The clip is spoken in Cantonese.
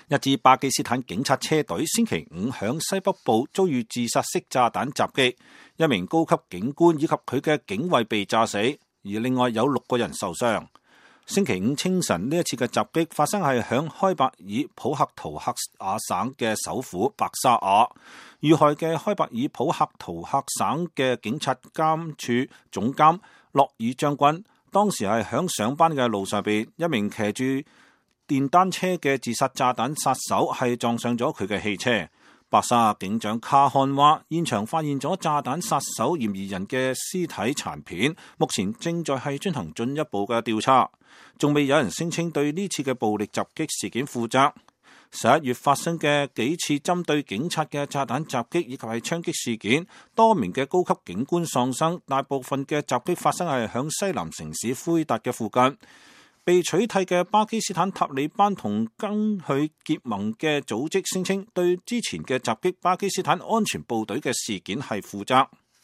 一支巴基斯坦警察車隊星期五響西北部遭遇自殺式炸彈襲擊，一名高級警官以及佢嘅警衛被炸死，而另外有6個人受傷。星期五清晨呢一次嘅襲擊發生係響開伯爾普克圖克亞省嘅首府白沙瓦，遇害嘅開伯爾普克圖克省嘅警察監處總監洛爾將軍，當時係響上班嘅路上邊，一名騎住電單車嘅自殺炸彈殺手係撞上咗佢嘅汽車。白沙瓦警長卡漢話，現場發現咗炸彈殺手嫌疑人嘅屍體殘片，目前正在係進行進一步嘅調查，仲未有人聲稱對呢次嘅暴力襲擊事件負責。11月發生嘅幾次針對警察嘅炸彈襲擊以及係槍擊事件，多名嘅高級警官喪生，大部分嘅襲擊發生係響西南城市奎達嘅附近。被取締嘅巴基斯坦塔利班同跟佢結盟嘅組織聲稱對之前嘅襲擊巴基斯坦安全部隊嘅事件係負責。